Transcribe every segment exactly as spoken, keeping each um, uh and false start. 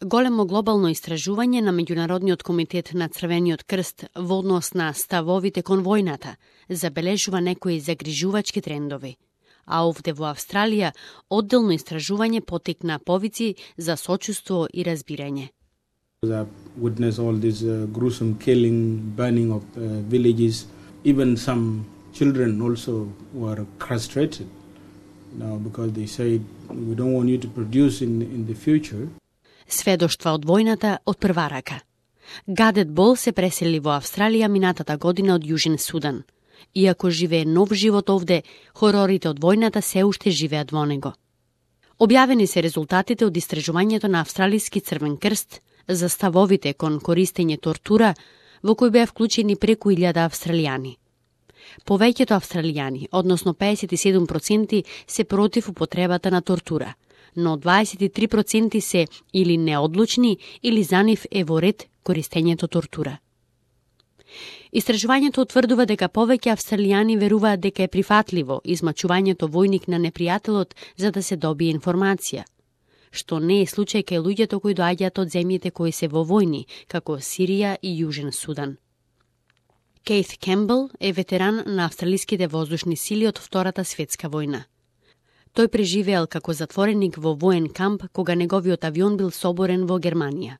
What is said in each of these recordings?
Големо глобално истражување на Меѓународниот комитет на Црвениот крст во однос на ставовите кон војната забележува некои загрижувачки трендови. А овде во Австралија одделно истражување потекна повици за сочувство и разбирање. I witnessed all this uh, gruesome killing, burning of uh, villages. Even some children also were castrated now because they said we don't want you to produce in in the future. Сведоштва од војната од прва рака. Гадет Бол се пресели во Австралија минатата година од Јужен Судан. Иако живее нов живот овде, хорорите од војната се уште живеат во него. Објавени се резултатите од истражувањето на Австралиски Црвен крст за ставовите кон користење тортура, во кој беа вклучени преку илјада австралијани. Повеќето австралијани, односно педесет и седум проценти, се против употребата на тортура, но дваесет и три проценти се или неодлучни, или за нив е во ред користењето тортура. Истражувањето утврдува дека повеќе австралијани веруваат дека е прифатливо измачувањето војник на непријателот за да се добие информација, што не е случај кај луѓето кои доаѓаат од земјите кои се во војни, како Сирија и Јужен Судан. Кейт Кембл е ветеран на австралиските воздушни сили од Втората светска војна. Тој преживеал како затвореник во воен камп кога неговиот авион бил соборен во Германија.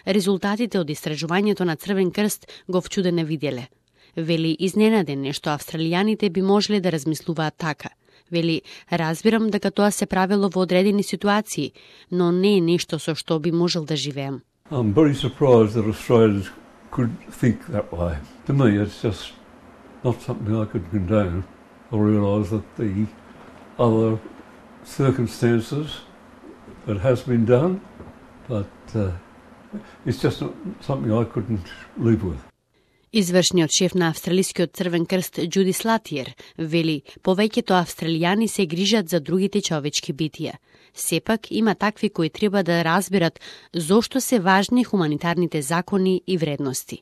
Резултатите од истражувањето на Црвен крст го вчудене виделе. Вели изненаден нешто австралијаните би можеле да размислуваат така. Вели, разбирам дека тоа се правело во одредени ситуации, но не е нешто со што би можел да живеам. I'm very surprised that Australians could think that way. To me, it's just not something I could condone. I realise that the other circumstances that has been done, but uh, it's just not something I couldn't live with. Извршниот шеф на Австралискиот Црвен крст Џуди Слатиер вели, повеќето австралијани се грижат за другите човечки битија. Сепак има такви кои треба да разберат зошто се важни хуманитарните закони и вредности.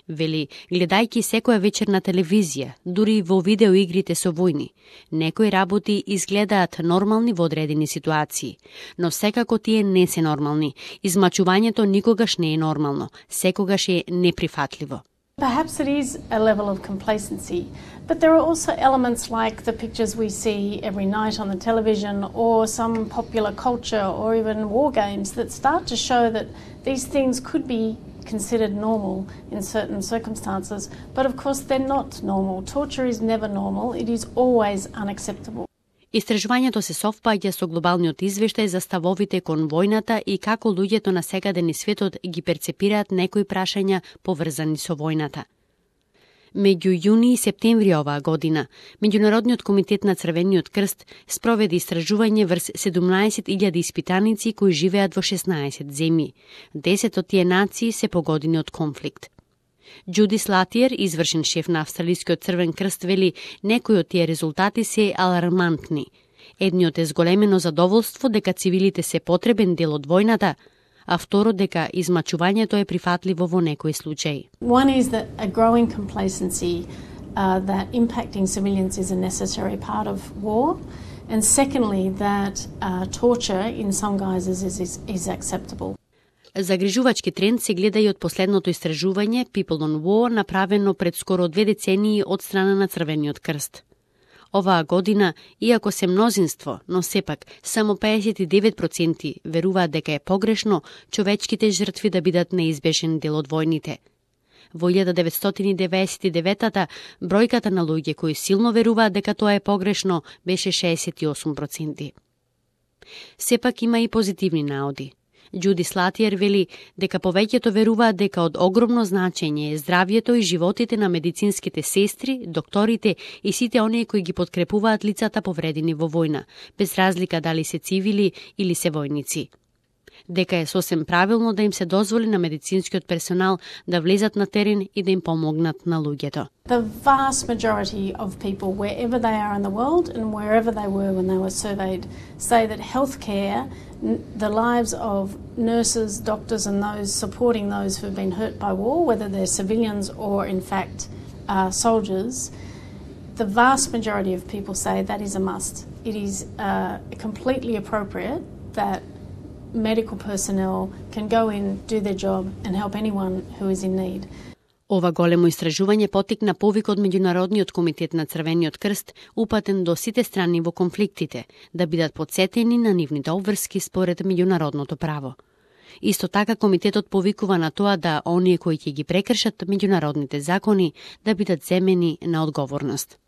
Вели, гледајќи секоја вечер на телевизија, дури во видеоигрите со војни, некои работи изгледаат нормални во одредени ситуации, но секако тие не се нормални. Измачувањето никогаш не е нормално, секогаш е неприфатливо. Perhaps it is a level of complacency, but there are also elements like the pictures we see every night on the television or some popular culture or even war games that start to show that these things could be considered normal in certain circumstances, but of course they're not normal. Torture is never normal, it is always unacceptable. Истражувањето се совпаѓа со глобалниот извештај за ставовите кон војната и како луѓето на секаде низ светот ги перцепираат некои прашања поврзани со војната. Меѓу јуни и септември оваа година, Меѓународниот комитет на Црвениот крст спроведе истражување врз седумнаесет илјади испитаници кои живеат во шеснаесет земји. десет од тие нации се погодени од конфликт. Џуди Слатиер, извршен шеф на Австралискиот Црвен крст, вели некои од тие резултати се алармантни. Едниот е зголемено задоволство дека цивилите се потребен дел од војната, а второ дека измачувањето е прифатливо во некои случаи. One is that a growing complacency uh, that impacting civilians is a necessary part of war, and secondly that uh, torture in some guises is, is, is acceptable. Загрижувачки тренд се гледа и од последното истражување People on War, направено пред скоро две децении од страна на Црвениот крст. Оваа година, иако се мнозинство, но сепак само педесет и девет проценти веруваат дека е погрешно човечките жртви да бидат неизбежен дел од војните. Во илјада деветстотини и деветдесет и девета бројката на луѓе кои силно веруваат дека тоа е погрешно беше шеесет и осум проценти. Сепак има и позитивни наоди. Џуди Слатиер вели дека повеќето веруваат дека од огромно значење е здравјето и животите на медицинските сестри, докторите и сите оние кои ги подкрепуваат лицата повредени во војна, без разлика дали се цивили или се војници. Дека е сосем правилно да им се дозволи на медицинскиот персонал да влезат на терен и да им помогнат на луѓето. The vast majority of people, wherever they are in the world and wherever they were when they were surveyed, say that healthcare, the lives of nurses, doctors and those supporting those who have been hurt by war, whether they're civilians or in fact uh, soldiers, the vast majority of people say that is a must. It is uh, completely appropriate that medical personnel can go in, do their job and help anyone who is in need. Ова големо истражување потикна повик од Меѓународниот комитет на Црвениот крст, упатен до сите страни во конфликтите, да бидат подсетени на нивните обврски според меѓународното право. Исто така комитетот повикува на тоа да оние кои ќе ги прекршат меѓународните закони да бидат земени на одговорност.